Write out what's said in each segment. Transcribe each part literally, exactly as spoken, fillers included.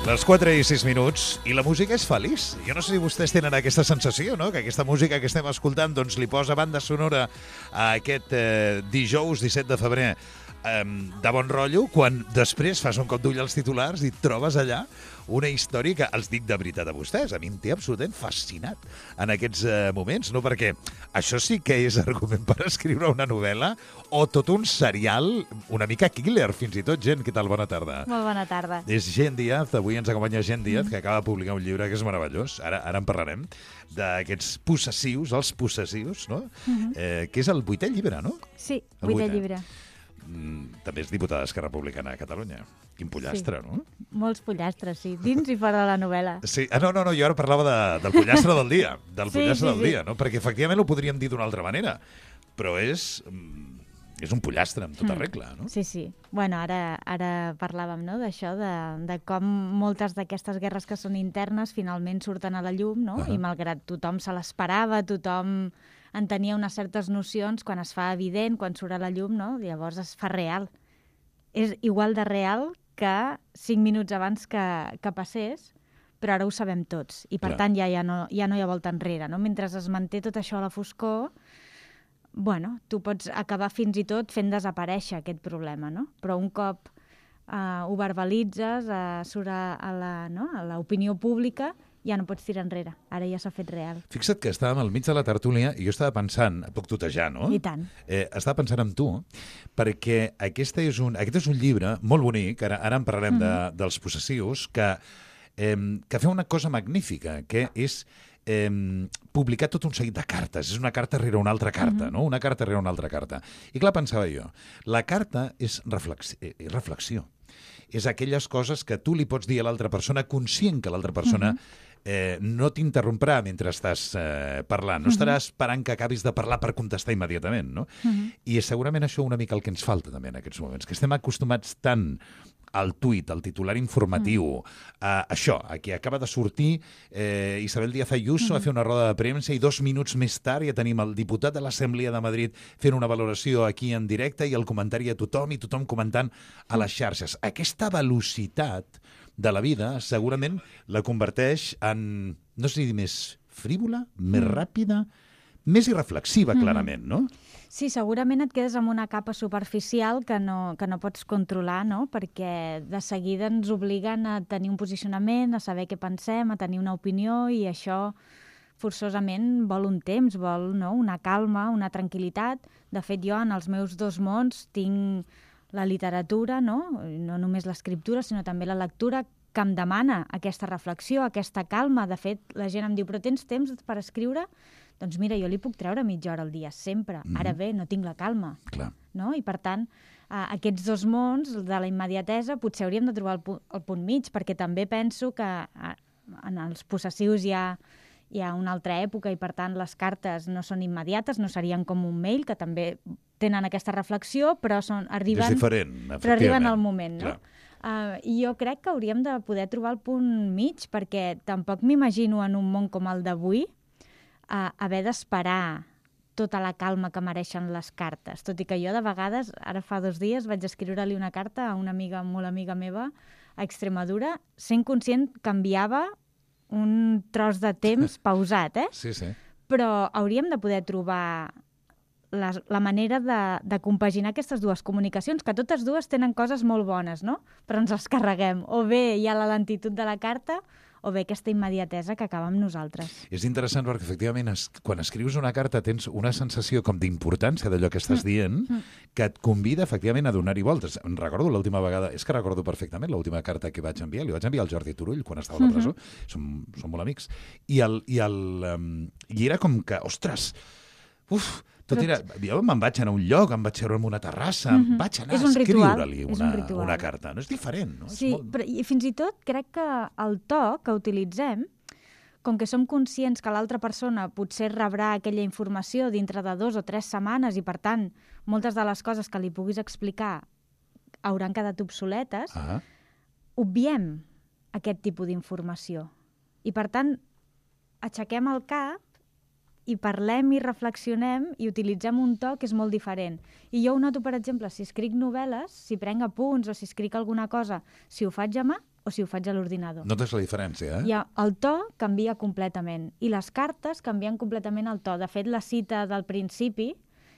Les quatre i sis minuts, i la música és feliç. Jo no sé si vostès tenen aquesta sensació, no? Que aquesta música que estem escoltant doncs, li posa banda sonora a aquest eh, dijous disset de febrer eh, de bon rotllo, quan després fas un cop d'ull als titulars i et trobes allà una història que, els dic de veritat a vostès, a mi em té absolutament fascinat en aquests eh, moments, no? Perquè això sí que és argument per escriure una novel·la o tot un serial una mica killer, fins i tot. Gent, què tal? Bona tarda. Molt bona tarda. És Gent Díaz, avui ens acompanya Gent Díaz, mm. que acaba de publicar un llibre que és meravellós, ara, ara en parlarem, d'aquests possessius, els possessius, no? Mm-hmm. eh, que és el vuitè llibre, no? Sí, el vuitè llibre. Mm, també és diputada d'Esquerra Republicana a Catalunya. Quin pollastre, sí. no? Molts pollastres, sí. Dins i fora de la novel·la. Sí. Ah, no, no, no, jo ara parlava de, del pollastre del dia. Del sí, pollastre sí, del sí. dia, no? Perquè efectivament ho podríem dir d'una altra manera. Però és... és un pollastre amb tota mm. regla, no? Sí, sí. Bueno, ara, ara parlàvem, no?, d'això, de, de com moltes d'aquestes guerres que són internes finalment surten a la llum, no? Uh -huh. I malgrat tothom se l'esperava, tothom en tenia unes certes nocions, quan es fa evident, quan surt a la llum, no?, llavors es fa real. És igual de real que cinc minuts abans que, que passés, però ara ho sabem tots. I per Clar. tant ja, ja, no, ja no hi ha volta enrere, no? Mentre es manté tot això a la foscor, bueno, tu pots acabar fins i tot fent desaparèixer aquest problema, no? Però un cop uh, ho verbalitzes, uh, surt a, a la, no? a l'opinió pública, ja no pots tirar enrere. Ara ja s'ha fet real. Fixa't que estàvem al mig de la tertúlia i jo estava pensant, et puc tutejar, no? I tant. Eh, estava pensant en tu, perquè aquesta és un, aquest és un llibre molt bonic, ara, ara en parlarem mm-hmm. de, dels possessius, que, eh, que fa una cosa magnífica, que és eh, publicar tot un seguit de cartes. És una carta rere una altra carta, mm-hmm. no? Una carta rere una altra carta. I clar, pensava jo, la carta és, reflex, és reflexió. És aquelles coses que tu li pots dir a l'altra persona, conscient que l'altra persona mm-hmm. Eh, no t'interromprà mentre estàs eh, parlant. No estarà esperant que acabis de parlar per contestar immediatament, no? Uh-huh. I és segurament això una mica el que ens falta també en aquests moments, que estem acostumats tant al tuit, al titular informatiu, uh-huh. a això, a que acaba de sortir eh, Isabel Díaz Ayuso uh-huh. a fer una roda de premsa i dos minuts més tard ja tenim el diputat de l'Assemblea de Madrid fent una valoració aquí en directe i el comentari a tothom i tothom comentant a les xarxes. Aquesta velocitat de la vida, segurament la converteix en, no sé si dir més frívola, més mm. ràpida, més irreflexiva, mm. clarament, no? Sí, segurament et quedes amb una capa superficial que no, que no pots controlar, no? Perquè de seguida ens obliguen a tenir un posicionament, a saber què pensem, a tenir una opinió, i això forçosament vol un temps, vol, no?, una calma, una tranquil·litat. De fet, jo en els meus dos mons tinc la literatura, no? No només l'escriptura, sinó també la lectura, que em demana aquesta reflexió, aquesta calma. De fet, la gent em diu, però tens temps per escriure? Doncs mira, jo li puc treure mitja hora al dia, sempre. Mm-hmm. Ara bé, no tinc la calma. Clar. No? I per tant, eh, aquests dos mons de la immediatesa potser hauríem de trobar el, pu el punt mig, perquè també penso que eh, en els possessius hi ha, hi ha una altra època i per tant les cartes no són immediates, no serien com un mail, que també tenen aquesta reflexió, però són, arriben, és diferent, però arriben al moment, no? Uh, I jo crec que hauríem de poder trobar el punt mig, perquè tampoc m'imagino en un món com el d'avui uh, haver d'esperar tota la calma que mereixen les cartes. Tot i que jo de vegades, ara fa dos dies, vaig escriure-li una carta a una amiga, molt amiga meva, a Extremadura, sent conscient que enviava un tros de temps pausat, eh? Sí, sí. Però hauríem de poder trobar la, la manera de, de compaginar aquestes dues comunicacions, que totes dues tenen coses molt bones, no? Però ens les carreguem. O bé hi ha la lentitud de la carta, o bé aquesta immediatesa que acaba amb nosaltres. És interessant perquè, efectivament, es, quan escrius una carta tens una sensació com d'importància d'allò que estàs dient, mm. que et convida, efectivament, a donar-hi voltes. Em recordo l'última vegada, és que recordo perfectament l'última carta que vaig enviar, li vaig enviar al Jordi Turull quan estava a la presó, mm-hmm. som, som molt amics, i, el, i, el, um, i era com que, ostres, uf, tot era, jo me'n vaig anar a un lloc, em vaig seure en una terrassa, mm-hmm. vaig anar a escriure-li una, un una carta. No és diferent, no? Sí, és molt... però i fins i tot crec que el to que utilitzem, com que som conscients que l'altra persona potser rebrà aquella informació dintre de dos o tres setmanes i, per tant, moltes de les coses que li puguis explicar hauran quedat obsoletes, ah. obviem aquest tipus d'informació. I, per tant, aixequem el cap i parlem i reflexionem i utilitzem un to que és molt diferent. I jo ho noto, per exemple, si escric novel·les, si prenc apunts o si escric alguna cosa, si ho faig a mà, o si ho faig a l'ordinador. Notes la diferència, eh? I el to canvia completament. I les cartes canvien completament el to. De fet, la cita del principi,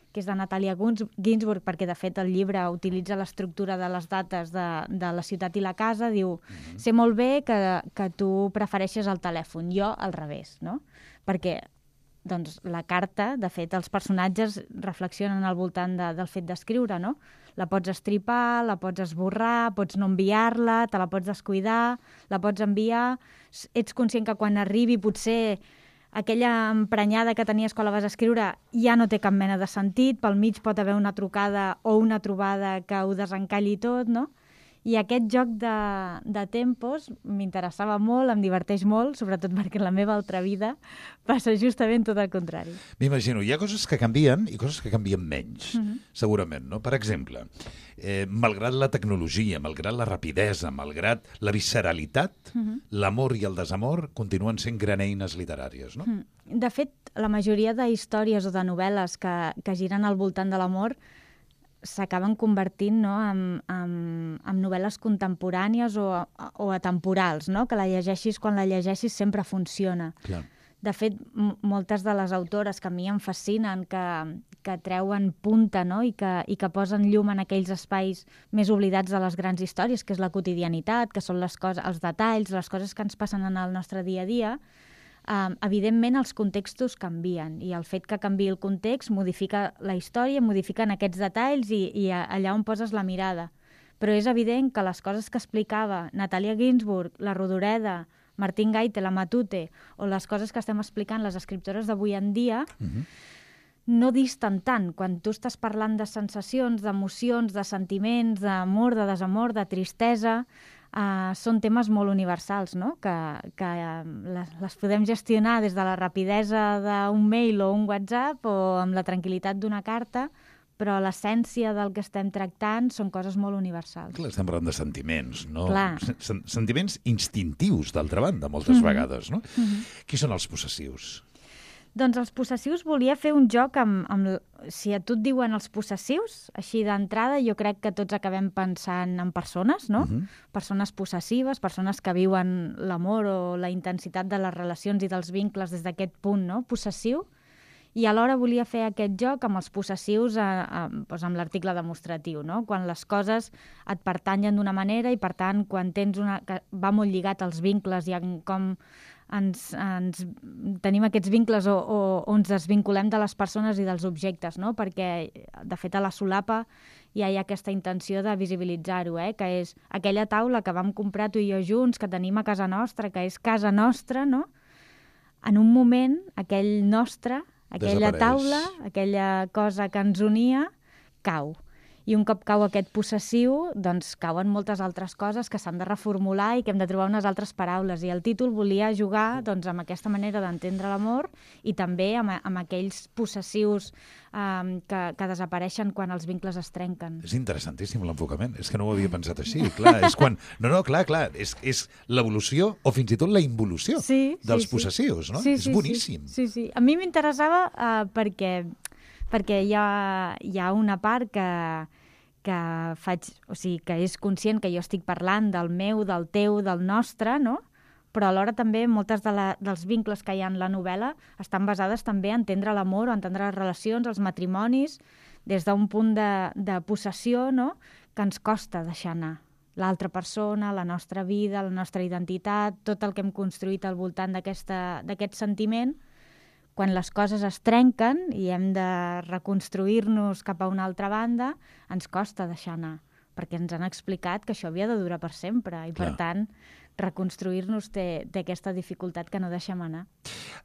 que és de Natalia Ginzburg, perquè de fet el llibre utilitza l'estructura de les dates de, de la ciutat i la casa, diu, mm-hmm. sé molt bé que, que tu prefereixes el telèfon, jo al revés, no? Perquè doncs, la carta, de fet, els personatges reflexionen al voltant de, del fet d'escriure, no? La pots estripar, la pots esborrar, pots no enviar-la, te la pots descuidar, la pots enviar, ets conscient que quan arribi potser aquella emprenyada que tenies quan la vas escriure ja no té cap mena de sentit, pel mig pot haver una trucada o una trobada que ho desencalli tot, no? I aquest joc de, de tempos m'interessava molt, em diverteix molt, sobretot perquè en la meva altra vida passa justament tot el contrari. M'imagino, hi ha coses que canvien i coses que canvien menys, uh-huh. segurament, no? Per exemple, eh, malgrat la tecnologia, malgrat la rapidesa, malgrat la visceralitat, uh-huh. l'amor i el desamor continuen sent gran eines literàries, no? Uh-huh. De fet, la majoria de històries o de novel·les que, que giren al voltant de l'amor s'acaben convertint, no, en, en, en novel·les contemporànies o, o atemporals, no? Que la llegeixis quan la llegeixis sempre funciona. Clar. De fet, m moltes de les autores que a mi em fascinen, que, que treuen punta, no? I, que, i que posen llum en aquells espais més oblidats de les grans històries, que és la quotidianitat, que són les coses, els detalls, les coses que ens passen en el nostre dia a dia, Um, evidentment els contextos canvien i el fet que canviï el context modifica la història, modifiquen aquests detalls i, i allà on poses la mirada. Però és evident que les coses que explicava Natalia Ginzburg, la Rodoreda, Martín Gaite, la Matute, o les coses que estem explicant les escriptores d'avui en dia, uh-huh. no disten tant. Quan tu estàs parlant de sensacions, d'emocions, de sentiments, d'amor, de desamor, de tristesa, Uh, són temes molt universals, no? Que, que uh, les, les podem gestionar des de la rapidesa d'un mail o un WhatsApp o amb la tranquil·litat d'una carta, però l'essència del que estem tractant són coses molt universals. Clar, estem parlant de sentiments, no? Clar. Sen sentiments instintius, d'altra banda, moltes mm-hmm. vegades, no? Mm-hmm. Qui són els possessius? Doncs els possessius volia fer un joc amb, amb... Si a tu et diuen els possessius, així d'entrada, jo crec que tots acabem pensant en persones, no? Uh-huh. Persones possessives, persones que viuen l'amor o la intensitat de les relacions i dels vincles des d'aquest punt, no? Possessiu. I alhora volia fer aquest joc amb els possessius a, a, doncs amb l'article demostratiu, no? Quan les coses et pertanyen d'una manera i, per tant, quan tens una... que va molt lligat als vincles i en com ens, ens tenim aquests vincles o, o, o ens desvinculem de les persones i dels objectes, no? Perquè, de fet, a la solapa ja hi ha aquesta intenció de visibilitzar-ho, eh? Que és aquella taula que vam comprar tu i jo junts, que tenim a casa nostra, que és casa nostra, no? En un moment, aquell nostre, aquella taula, aquella cosa que ens unia, cau. I un cop cau aquest possessiu, doncs cauen moltes altres coses que s'han de reformular i que hem de trobar unes altres paraules. I el títol volia jugar doncs, amb aquesta manera d'entendre l'amor i també amb, amb aquells possessius um, que, que desapareixen quan els vincles es trenquen. És interessantíssim l'enfocament. És que no ho havia pensat així. Clar, és quan... No, no, clar, clar. És, és l'evolució o fins i tot la involució sí, dels sí, possessius, no? Sí, és sí, boníssim. Sí, sí, sí. A mi m'interessava uh, perquè, perquè hi ha, hi ha una part que que faig, o sigui, que és conscient que jo estic parlant del meu, del teu, del nostre, no? Però alhora també moltes de la, dels vincles que hi ha en la novel·la estan basades també a entendre l'amor o a entendre les relacions, els matrimonis, des d'un punt de, de possessió, no? Que ens costa deixar anar. L'altra persona, la nostra vida, la nostra identitat, tot el que hem construït al voltant d'aquest sentiment, quan les coses es trenquen i hem de reconstruir-nos cap a una altra banda, ens costa deixar anar, perquè ens han explicat que això havia de durar per sempre i, Clar. Per tant, reconstruir-nos té, té aquesta dificultat que no deixem anar.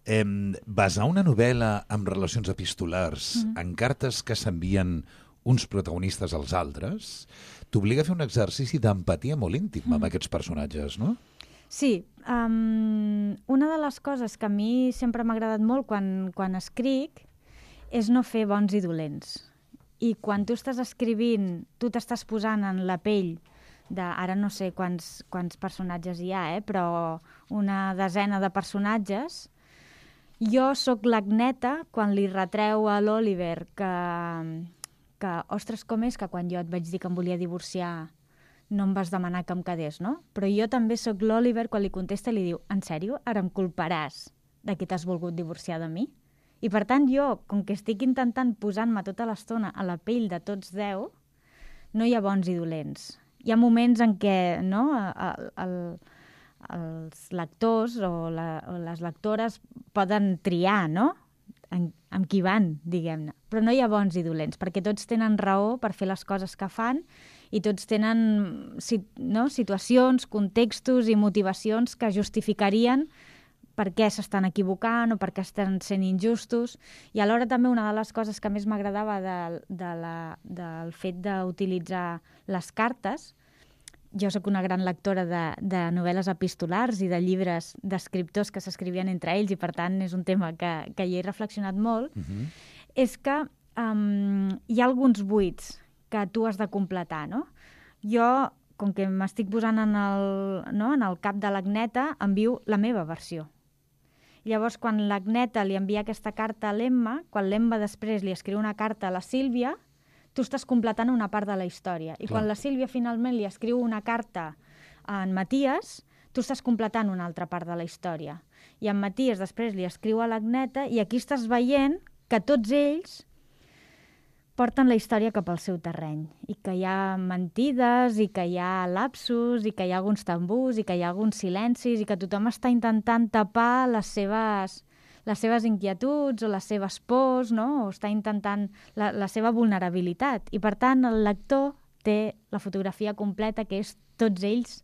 Eh, basar una novel·la amb relacions epistolars mm-hmm. en cartes que s'envien uns protagonistes als altres t'obliga a fer un exercici d'empatia molt íntim mm-hmm. amb aquests personatges, no? Sí, um, una de les coses que a mi sempre m'ha agradat molt quan, quan escric és no fer bons i dolents. I quan tu estàs escrivint, tu t'estàs posant en la pell de, ara no sé quants, quants personatges hi ha, eh, però una desena de personatges, jo sóc l'Agneta quan li retreu a l'Oliver que, que, ostres, com és que quan jo et vaig dir que em volia divorciar no em vas demanar que em quedés, no? Però jo també sóc l'Oliver quan li contesta i li diu, en sèrio, ara em culparàs de que t'has volgut divorciar de mi? I per tant jo, com que estic intentant posant-me tota l'estona a la pell de tots deu, no hi ha bons i dolents. Hi ha moments en què no, el, el, els lectors o, la, o les lectores poden triar, no?, en, amb qui van, diguem-ne. Però no hi ha bons i dolents, perquè tots tenen raó per fer les coses que fan i tots tenen no, situacions, contextos i motivacions que justificarien per què s'estan equivocant o per què estan sent injustos. I alhora també una de les coses que més m'agradava de, de la, del fet d'utilitzar les cartes, jo sóc una gran lectora de, de novel·les epistolars i de llibres d'escriptors que s'escrivien entre ells i, per tant, és un tema que, que hi he reflexionat molt, uh-huh. és que um, hi ha alguns buits que tu has de completar, no? Jo, com que m'estic posant en el, no, en el cap de l'Agneta, envio la meva versió. Llavors, quan l'Agneta li envia aquesta carta a l'Emma, quan l'Emma després li escriu una carta a la Sílvia, tu estàs completant una part de la història. I Clar. Quan la Sílvia finalment li escriu una carta a en Matías, tu estàs completant una altra part de la història. I en Matías després li escriu a l'Agneta i aquí estàs veient que tots ells porten la història cap al seu terreny i que hi ha mentides i que hi ha lapsus i que hi ha alguns tambús i que hi ha alguns silencis i que tothom està intentant tapar les seves... les seves inquietuds o les seves pors, no? O està intentant la, la seva vulnerabilitat. I, per tant, el lector té la fotografia completa, que és tots ells,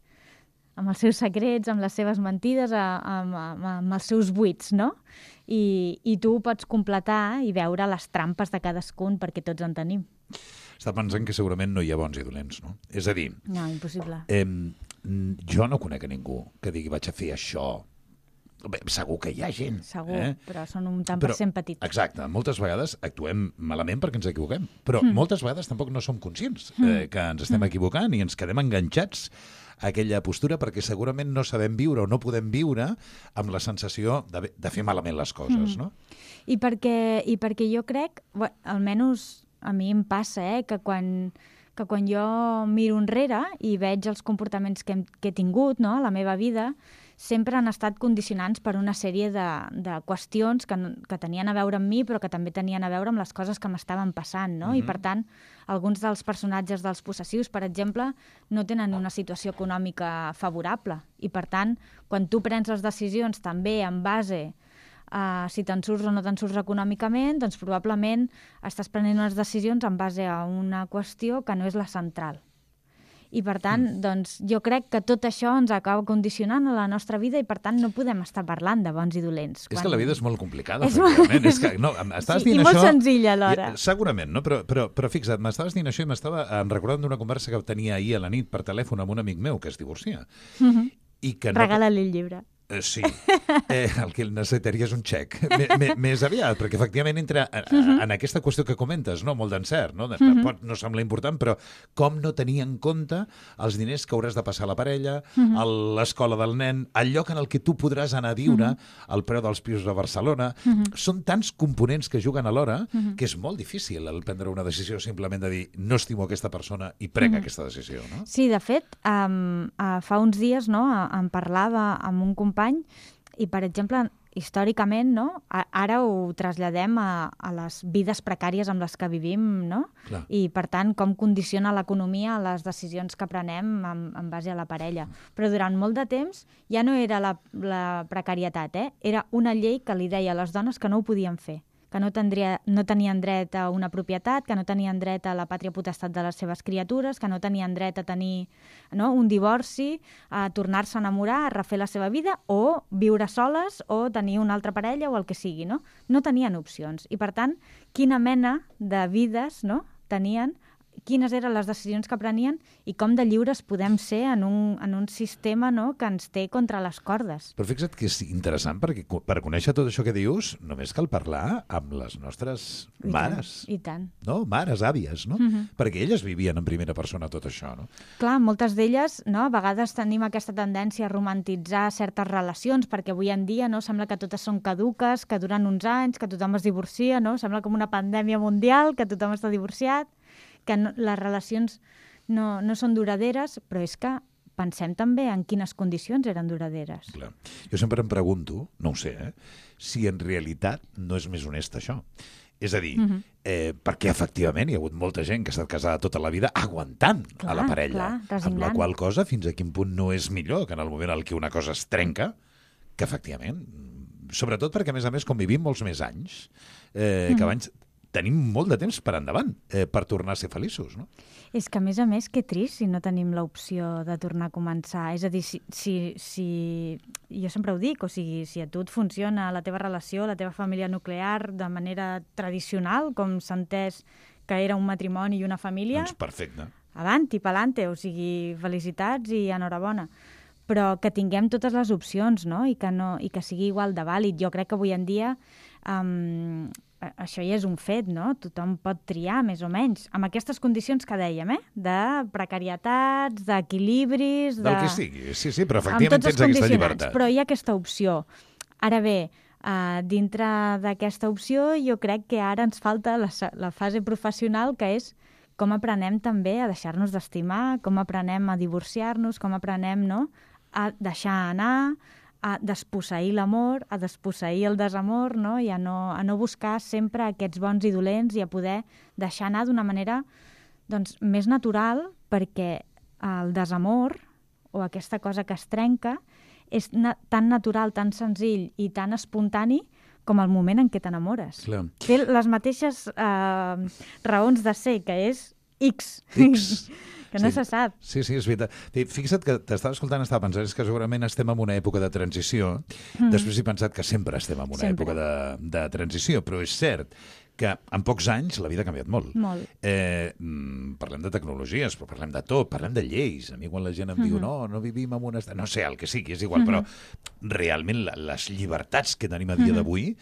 amb els seus secrets, amb les seves mentides, amb, amb, amb els seus buits, no? I, I tu pots completar i veure les trampes de cadascun, perquè tots en tenim. Està pensant que segurament no hi ha bons i dolents, no? És a dir... No, impossible. Eh, jo no conec a ningú que digui vaig a fer això. Bé, segur que hi ha gent. Segur, eh? però són un tant per cent petits. Exacte, moltes vegades actuem malament perquè ens equivoquem, però mm. moltes vegades tampoc no som conscients mm. eh, que ens estem mm. equivocant i ens quedem enganxats a aquella postura perquè segurament no sabem viure o no podem viure amb la sensació de, de fer malament les coses, mm. no? I perquè, i perquè jo crec, bueno, almenys a mi em passa, eh, que quan... que quan jo miro enrere i veig els comportaments que, hem, que he tingut, no, a la meva vida, sempre han estat condicionants per una sèrie de, de qüestions que, que tenien a veure amb mi, però que també tenien a veure amb les coses que m'estaven passant, no? Uh-huh. I, per tant, alguns dels personatges dels possessius, per exemple, no tenen una situació econòmica favorable. I, per tant, quan tu prens les decisions també en base a si te'n surts o no te'n surts econòmicament, doncs probablement estàs prenent unes decisions en base a una qüestió que no és la central. I, per tant, mm. doncs, jo crec que tot això ens acaba condicionant a la nostra vida i, per tant, no podem estar parlant de bons i dolents. És quan... que la vida és molt complicada, és efectivament. Molt... És que, no, estaves sí, dient i molt això... senzilla, alhora. I, segurament, no? Però, però, però fixa't, m'estaves dient això i m'estava recordant d'una conversa que tenia ahir a la nit per telèfon amb un amic meu que es divorcia. Mm-hmm. I que no... Regala-li el llibre. Eh, sí, eh, el que necessitaria és un xec. Més aviat, perquè efectivament entra a, a, uh-huh. en aquesta qüestió que comentes, no? Molt d'encert, no? De, uh-huh. pot no sembla important, però com no tenir en compte els diners que hauràs de passar a la parella, uh-huh. l'escola del nen, el lloc en el que tu podràs anar a viure, uh-huh. el preu dels pisos a Barcelona... Uh-huh. Són tants components que juguen alhora uh-huh. que és molt difícil el prendre una decisió simplement de dir no estimo aquesta persona i prenc uh-huh. aquesta decisió, no? Sí, de fet, um, uh, fa uns dies no, em parlava amb un company i, per exemple, històricament, no, ara ho traslladem a, a les vides precàries amb les que vivim, no? Clar. I, per tant, com condiciona l'economia a les decisions que prenem en, en base a la parella. Però durant molt de temps ja no era la, la precarietat, eh? Era una llei que li deia a les dones que no ho podien fer, que no, tendria, no tenien dret a una propietat, que no tenien dret a la pàtria potestat de les seves criatures, que no tenien dret a tenir no, un divorci, a tornar-se a enamorar, a refer la seva vida, o viure soles, o tenir una altra parella, o el que sigui, no? No tenien opcions. I, per tant, quina mena de vides no, tenien, quines eren les decisions que prenien i com de lliures podem ser en un, en un sistema no, que ens té contra les cordes. Però fixa't que és interessant perquè per conèixer tot això que dius només cal parlar amb les nostres I mares. Tant, I tant. No? Mares, àvies, no? Uh-huh. Perquè elles vivien en primera persona tot això, no? Clar, moltes d'elles, no, a vegades tenim aquesta tendència a romantitzar certes relacions perquè avui en dia no, sembla que totes són caduques, que duren uns anys, que tothom es divorcia, no? Sembla com una pandèmia mundial, que tothom està divorciat, que no, les relacions no, no són duraderes, però és que pensem també en quines condicions eren duraderes. Clar. Jo sempre em pregunto, no ho sé, eh, si en realitat no és més honest això. És a dir, uh-huh. eh, perquè efectivament hi ha hagut molta gent que ha estat casada tota la vida aguantant clar, a la parella, clar, amb la qual cosa fins a quin punt no és millor que en el moment en què una cosa es trenca, que efectivament, sobretot perquè a més a més com vivim molts més anys, eh, uh-huh. que abans tenim molt de temps per endavant eh, per tornar a ser feliços, no? És que, a més a més, que trist si no tenim l'opció de tornar a començar. És a dir, si, si, si... jo sempre ho dic, o sigui, si a tu et funciona la teva relació, la teva família nuclear de manera tradicional, com s'ha entès que era un matrimoni i una família... Doncs perfecte. Avanti, pa'lante, o sigui, felicitats i enhorabona. Però que tinguem totes les opcions, no? I que, no, i que sigui igual de vàlid. Jo crec que avui en dia... Um, això ja és un fet, no? Tothom pot triar, més o menys, amb aquestes condicions que dèiem, eh? De precarietats, d'equilibris... De... Del que sigui, sí, sí, però efectivament tens aquesta llibertat. Però hi ha aquesta opció. Ara bé, uh, dintre d'aquesta opció jo crec que ara ens falta la, la fase professional, que és com aprenem també a deixar-nos d'estimar, com aprenem a divorciar-nos, com aprenem, no?, a deixar anar, a desposseir l'amor, a desposseir el desamor, no? I a no, a no buscar sempre aquests bons i dolents i a poder deixar anar d'una manera doncs, més natural, perquè el desamor o aquesta cosa que es trenca és na tan natural, tan senzill i tan espontani com el moment en què t'enamores. Té les mateixes eh, raons de ser, que és X. X. Que no sí. se sap. Sí, sí, és veritat. Fixa't que t'estava escoltant, estava pensant, és que segurament estem en una època de transició. Mm. Després he pensat que sempre estem en una sempre. època de, de transició, però és cert que en pocs anys la vida ha canviat molt. Molt. Eh, parlem de tecnologies, però parlem de tot, parlem de lleis. A mi quan la gent em mm-hmm. diu no, no vivim en un estat... No sé, el que sigui, és igual, mm-hmm. però realment les llibertats que tenim a dia mm-hmm. d'avui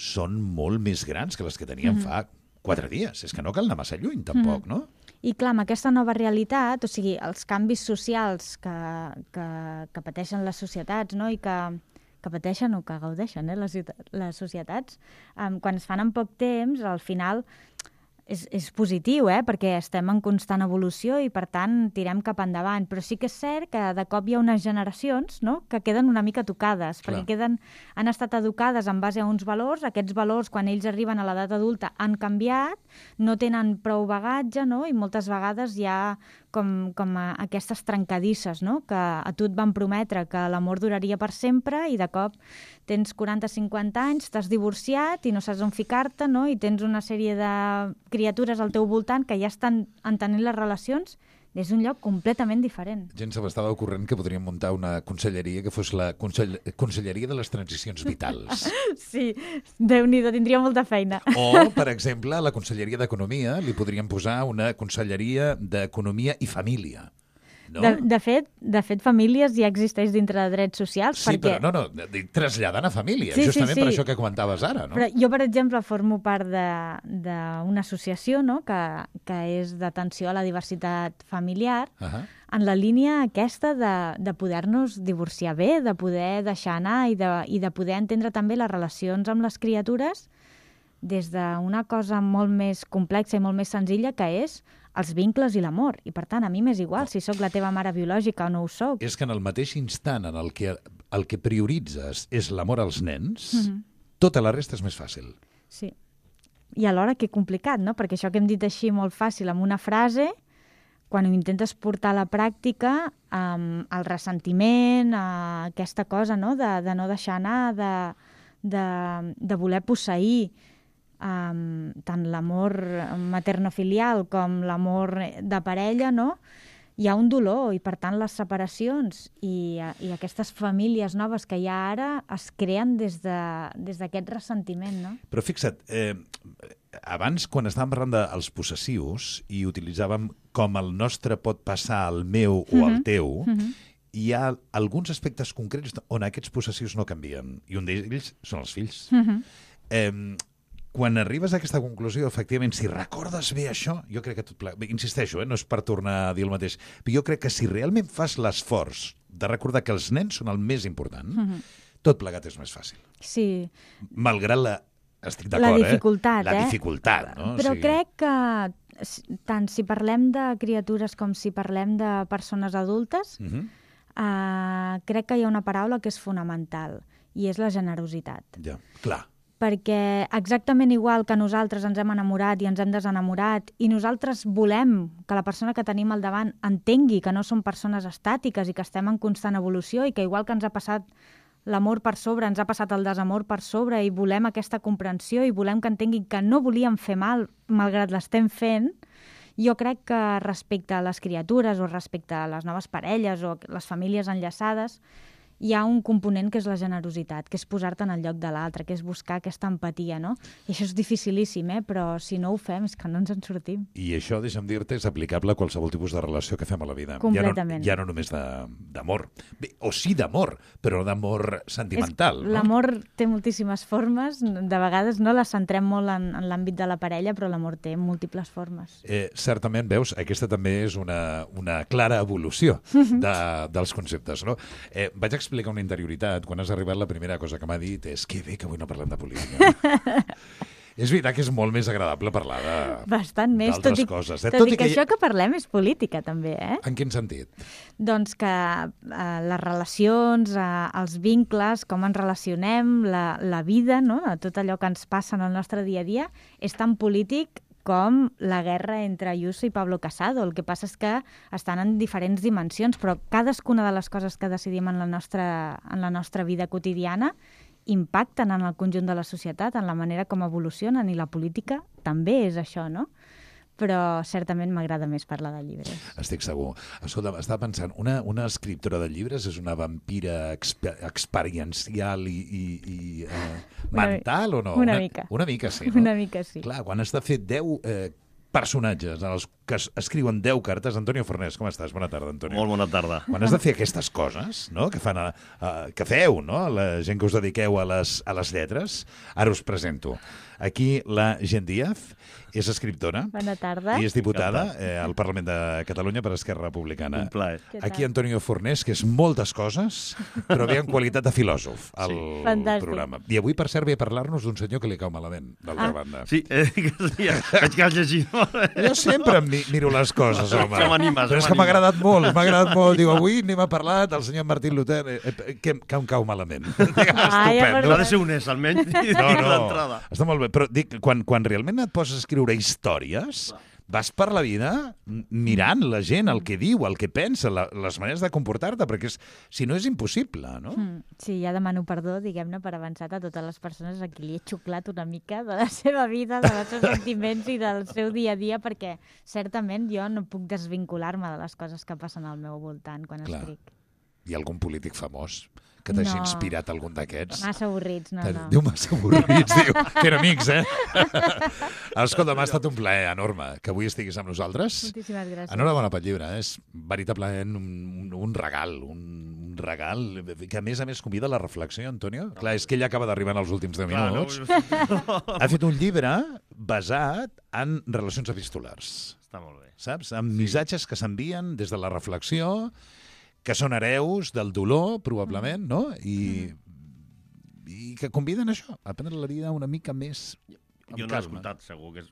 són molt més grans que les que teníem mm-hmm. fa quatre dies. És que no cal anar massa lluny, tampoc, mm-hmm. no? I clar, amb aquesta nova realitat, o sigui, els canvis socials que, que, que pateixen les societats, no?, i que, que pateixen o que gaudeixen eh, les, les societats, um, quan es fan en poc temps, al final és, és positiu, eh, perquè estem en constant evolució i, per tant, tirem cap endavant. Però sí que és cert que de cop hi ha unes generacions, no?, que queden una mica tocades, clar. perquè queden, han estat educades en base a uns valors, aquests valors, quan ells arriben a l'edat adulta, han canviat, no tenen prou bagatge, no?, i moltes vegades hi ha com, com a aquestes trencadisses, no?, que a tu et van prometre que l'amor duraria per sempre i de cop tens quaranta cinquanta anys, t'has divorciat i no saps on ficar-te, no?, i tens una sèrie de criatures al teu voltant que ja estan entenent les relacions des d'un lloc completament diferent. Gent se m'estava ocorrent que podríem muntar una conselleria que fos la consell conselleria de les transicions vitals. Sí, Déu-n'hi-do, tindria molta feina. O, per exemple, a la Conselleria d'Economia li podríem posar una Conselleria d'Economia i Família. No? De, de, fet, de fet, famílies ja existeix dintre de drets socials. Sí, perquè... però no, no, traslladant a famílies, sí, justament sí, sí. per això que comentaves ara. No? Però jo, per exemple, formo part d'una associació, no?, que, que és d'atenció a la diversitat familiar, uh -huh. en la línia aquesta de, de poder-nos divorciar bé, de poder deixar anar i de, i de poder entendre també les relacions amb les criatures des d'una cosa molt més complexa i molt més senzilla, que és els vincles i l'amor. I, per tant, a mi m'és igual si sóc la teva mare biològica o no ho sóc. És que en el mateix instant en el que el que prioritzes és l'amor als nens, mm-hmm. tota la resta és més fàcil. Sí. I alhora que complicat, no? Perquè això que hem dit així molt fàcil amb una frase, quan ho intentes portar a la pràctica, um, el ressentiment, uh, aquesta cosa, no?, de, de no deixar anar, de, de, de voler posseir Um, tant l'amor materno-filial com l'amor de parella, no?, hi ha un dolor i, per tant, les separacions i, i aquestes famílies noves que hi ha ara es creen des d'aquest de, ressentiment, no? Però fixa't, eh, abans, quan estàvem parlant dels possessius i utilitzàvem com el nostre pot passar al meu o al teu, mm-hmm. hi ha alguns aspectes concrets on aquests possessius no canvien, i un d'ells són els fills. Mm-hmm. eh, Quan arribes a aquesta conclusió, efectivament, si recordes bé això, jo crec que tot plegat... Insisteixo, eh, no és per tornar a dir el mateix, però jo crec que si realment fas l'esforç de recordar que els nens són el més important, mm-hmm. tot plegat és més fàcil. Sí. Malgrat la... Estic d'acord, eh? La dificultat, eh? La eh? dificultat, no? Però o sigui... crec que tant si parlem de criatures com si parlem de persones adultes, Uh-huh. uh, crec que hi ha una paraula que és fonamental, i és la generositat. Ja, clar. Perquè exactament igual que nosaltres ens hem enamorat i ens hem desenamorat i nosaltres volem que la persona que tenim al davant entengui que no som persones estàtiques i que estem en constant evolució i que igual que ens ha passat l'amor per sobre, ens ha passat el desamor per sobre i volem aquesta comprensió i volem que entenguin que no volíem fer mal malgrat l'estem fent, jo crec que respecte a les criatures o respecte a les noves parelles o les famílies enllaçades hi ha un component que és la generositat, que és posar-te en el lloc de l'altre, que és buscar aquesta empatia, no? I això és dificilíssim, eh? Però si no ho fem és que no ens en sortim. I això, deixa'm dir-te, és aplicable a qualsevol tipus de relació que fem a la vida. Completament. Ja no, ja no només de- d'amor. Bé, o sí d'amor, però d'amor sentimental. És, no? l'amor té moltíssimes formes, de vegades no les centrem molt en, en l'àmbit de la parella, però l'amor té múltiples formes. Eh, certament, veus, aquesta també és una, una clara evolució de, dels conceptes, no? Eh, vaig explicar una interioritat. Quan has arribat, la primera cosa que m'ha dit és que bé que avui no parlem de política. És veritat que és molt més agradable parlar de, Bastant més, tot d'altres i, coses. Eh? tot, i que, hi- això que parlem és política, també, eh? En quin sentit? Doncs que eh, les relacions, eh, els vincles, com ens relacionem, la, la vida, no? Tot allò que ens passa en el nostre dia a dia, és tan polític com la guerra entre Ayuso i Pablo Casado. El que passa és que estan en diferents dimensions, però cadascuna de les coses que decidim en la nostra, en la nostra vida quotidiana impacten en el conjunt de la societat, en la manera com evolucionen, i la política també és això, no? Però certament m'agrada més parlar de llibres. Estic segur. Escolta, estava pensant, una, una escriptora de llibres és una vampira exper experiencial i, i, i eh, Una- mental o no? una mica. Una mica, sí, no? Una mica sí. Clar, quan has de fer deu eh, personatges en els que es escriuen deu cartes... Antonio Fornés, com estàs? Bona tarda, Antonio. Molt bona tarda. Quan has de fer aquestes coses, no?, que, fan a, a, que feu, no?, la gent que us dediqueu a les, a les lletres, ara us presento. Aquí la Gent Díaz és escriptora Bona tarda. i és diputada eh, al Parlament de Catalunya per Esquerra Republicana. Un plaer. Què tal? Aquí Antonio Fornés, que és moltes coses, però ve en qualitat de filòsof al Fantàstic. programa. I avui, per cert, ve a parlar-nos d'un senyor que li cau malament, d'altra Ah. banda. Sí, eh, que sí, veig que has llegit molt. Jo sempre em mi- miro les coses, home. Això m'anima, Però és això que m'ha m'anima. agradat molt, m'ha agradat molt. Diu, avui anem a parlar del senyor Martín Luter, eh, eh, que, que em cau malament. Ai, ja Estupendo. Ha de ser honest, almenys, No, no, d'entrada. està molt bé. Però dic, quan, quan realment et poses a escriure històries, vas per la vida mirant la gent, el que diu, el que pensa, la, les maneres de comportar-te, perquè és, si no és impossible, no? Mm, sí, ja demano perdó, diguem-ne, per avançat a totes les persones a qui li he xuclat una mica de la seva vida, dels seus sentiments i del seu dia a dia, perquè certament jo no puc desvincular-me de les coses que passen al meu voltant quan Clar. escric. Hi ha algun polític famós que t'hagi No. inspirat algun d'aquests? Massa avorrits, no, T'ha- no. Diu massa avorrits, diu. Que eren amics, eh? Escolta, m'ha estat un plaer enorme que avui estiguis amb nosaltres. Moltíssimes gràcies. Enhorabona pel llibre, eh? És veritablement un, un, un regal, un, un regal que a més a més convida a la reflexió, Antonio. Clar, és que ell acaba d'arribar en els últims deu Clar, no? minuts. Ha fet un llibre basat en relacions epistolars, Està molt bé. saps? Amb missatges que s'envien des de la reflexió, que són hereus del dolor, probablement, no? I, i que conviden a això, a prendre la vida una mica més amb Jo no l'he calma. escoltat, segur, que és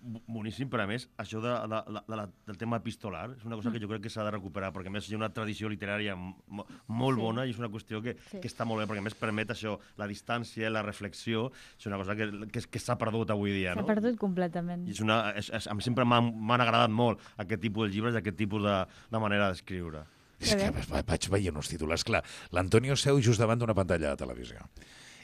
bo- boníssim, però a més, això de, de, de, de, la- del tema epistolar és una cosa que jo crec que s'ha de recuperar, perquè a més hi ha una tradició literària mo- molt Sí. bona i és una qüestió que, Sí. que està molt bé, perquè a més permet això, la distància, la reflexió, és una cosa que, que, que s'ha perdut avui dia, S'ha no? perdut completament. I és una, és, és, a mi sempre m'han m'han agradat molt aquest tipus de llibres i aquest tipus de, de manera d'escriure. És que va- vaig veient uns titulars. Clar, l'Antonio seu just davant d'una pantalla de televisió.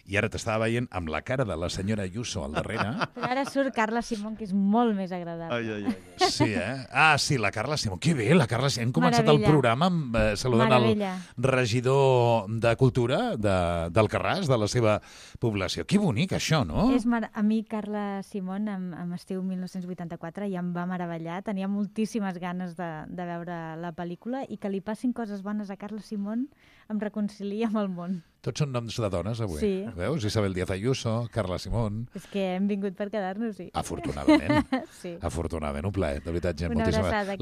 I ara t'estava veient amb la cara de la senyora Ayuso al darrere. Però ara surt Carla Simón, que és molt més agradable. Ai, ai, ai. Sí, eh? Ah, sí, la Carla Simón. Que bé, la Carla Simón. Hem començat Meravella. el programa amb, eh, saludant Meravella. el regidor de Cultura de, del Carràs, de la seva població. Que bonic, això, no? És mar... A mi, Carla Simón, amb, amb Estiu mil nou-cents vuitanta-quatre, ja em va meravellar. Tenia moltíssimes ganes de, de veure la pel·lícula i que li passin coses bones a Carla Simón em reconcilia amb el món. Tots són noms de dones, avui. Sí. Veus? Isabel Díaz Ayuso, Carla Simón. És que hem vingut per quedar-nos, sí. Afortunadament. Sí. Afortunadament, un plaer, de veritat, gent. Una moltíssimes- abraçada, que La